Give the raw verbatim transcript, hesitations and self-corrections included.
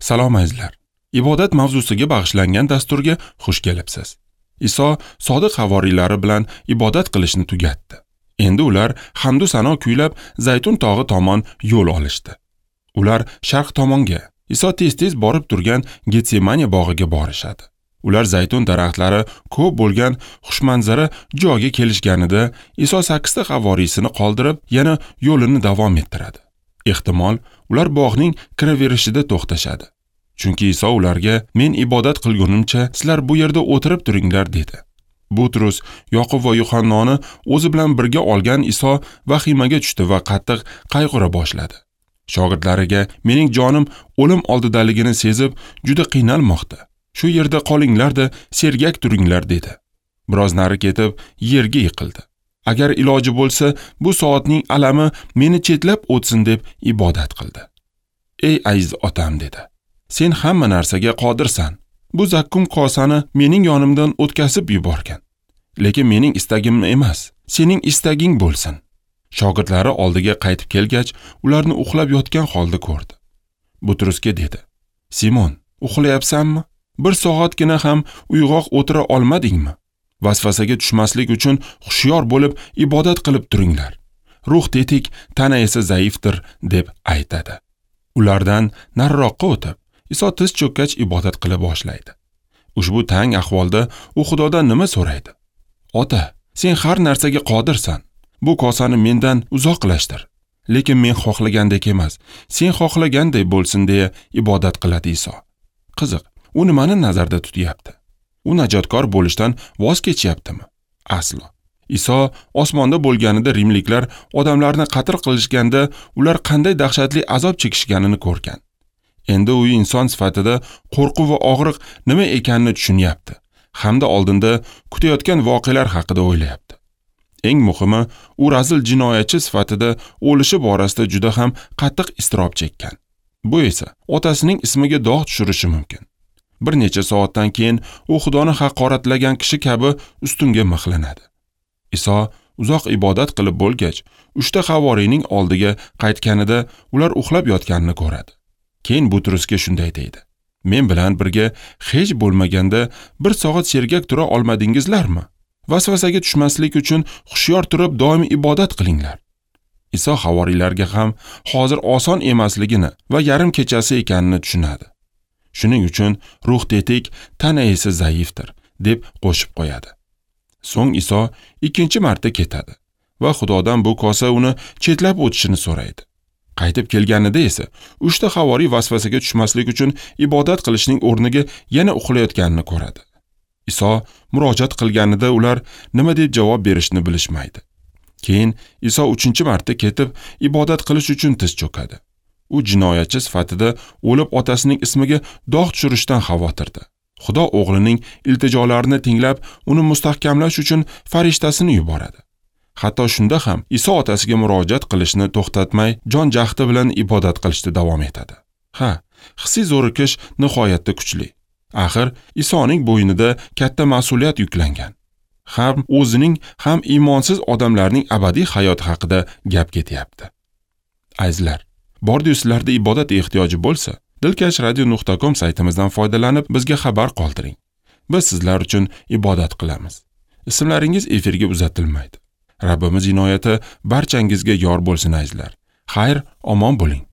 Salom azizlar. Ibodat mavzusiga bag'ishlangan dasturga xush kelibsiz. Iso sodiq havoriylari bilan ibodat qilishni tugatdi. Endi ular hamdu sano kuylab Zaytun tog'i tomon yo'l olishdi. Ular sharq tomonga, Iso tez-tez borib turgan Getsemaniya bog'iga borishadi. Ular zaytun daraxtlari ko'p bo'lgan xushmanzara joyga kelishganida Iso sakkizta havoriysini qoldirib, yana yo'lini davom ettiradi. Ehtimol, ular bog'ning kiraverishida to'xtashadi. Chunki Iso ularga "Men ibodat qilgunimcha sizlar bu yerda o'tirib turinglar" dedi. Butrus, Yoqub va Yuhannoni o'zi bilan birga olgan Iso vahimaga tushdi va qattiq qayg'ura boshladi. Shogirdlariga "Mening jonim o'lim oldidaligini sezib, juda qiynalmoqda. Shu yerda qolinglar-da, sergak turinglar" dedi. Biroz nari ketib, yerga yiqildi. Agar iloji bo'lsa, bu soatning alami meni chetlab o'tsin deb ibodat qildi. "Ey aziz otam" dedi. "Sen hamma narsaga qodirsan. Bu zakkum kosani mening yonimdan o'tkazib yuborgan. Lekin mening istagim emas, sening istaging bo'lsin." Shogirdlari oldiga qaytib kelgach, ularni uxlab yotgan holda ko'rdi. Butrusga dedi: "Simon, uxlayapsanmi? Bir soatgina ham uyg'oq o'tira olmadingmi? Vasvasaga tushmaslik uchun hushyor bo'lib ibodat qilib turinglar. Ruh tetik, tana esa zaifdir" deb aytadi. Ulardan nariroqqa o'tib, Iso tiz cho'kkach ibodat qila boshlaydi. Ushbu tang ahvolda u Xudodan nima so'raydi? "Ota, sen har narsaga qodirsan. Bu kosani mendan uzoqlashtir. Lekin men xohlagandek emas, sen xohlaganday bo'lsin" deya ibodat qiladi Iso. Qiziq, u nimani nazarda tutyapti? U najotkor bo'lishdan voz kechyaptimi? Aslo. Iso osmonda bo'lganida rimliklar odamlarni qatl qilishganda ular qanday dahshatli azob chekishganini ko'rgan. Endi u inson sifatida qo'rquv va og'riq nima ekanini tushunyapti hamda oldinda kutayotgan voqealar haqida o'ylayapti. Eng muhimi, u razil jinoyatchi sifatida o'lishi borasida juda ham qattiq iztirob chekkan. Bu esa otasining ismiga dog' tushirishi mumkin. Bir necha soatdan keyin u Xudoni haqoratlagan kishi kabi ustunga mixlanadi. Iso uzoq ibodat qilib bo'lgach, uchta havoriyning oldiga qaytganida ular uxlab yotganini ko'radi. Keyin Butrusga shunday deydi: "Men bilan birga hech bo'lmaganda bir soat sergak tura olmadingizlarmi? Vasvasaga tushmaslik uchun hushyor turib doim ibodat qilinglar." Iso havoriylarga ham hozir oson emasligini va yarim kechasi ekanini tushunadi. Shuning uchun ruh tetik, tana esa zaifdir deb qo'shib qo'yadi. So'ng Iso ikkinchi marta ketadi va Xudodan bu kosa uni chetlab o'tishini so'raydi. Qaytib kelganida esa uchta havoriy vasvasaga tushmaslik uchun ibodat qilishning o'rniga yana uxlayotganini ko'radi. Iso murojaat qilganida ular nima deb javob berishni bilishmaydi. Keyin Iso uchinchi marta ketib ibodat qilish uchun tiz cho'kadi. U jinoyatchi sifatida o'lib otasining ismiga dog' tushirishdan xavotirda. Xudo o'g'lining iltijolarini tinglab, uni mustahkamlash uchun farishtasini yuboradi. Hatto shunda ham Iso otasiga murojaat qilishni to'xtatmay, jon jahdi bilan ibodat qilishda davom etadi. Ha, hissiy zo'rikish nihoyatda kuchli. Axir Isoning bo'ynida katta mas'uliyat yuklangan. Ham o'zining, ham iymonsiz odamlarning abadiy hayoti haqida gap ketyapti. Azizlar, bordi-yu sizlarda ibodat ehtiyoji bo'lsa, dilkash radio nuqta com saytimizdan foydalanib bizga xabar qoldiring. Biz sizlar uchun ibodat qilamiz. Ismlaringiz efirga uzatilmaydi. Rabbimiz inoyati barchangizga yor bo'lsin azizlar. Xayr, omon bo'ling.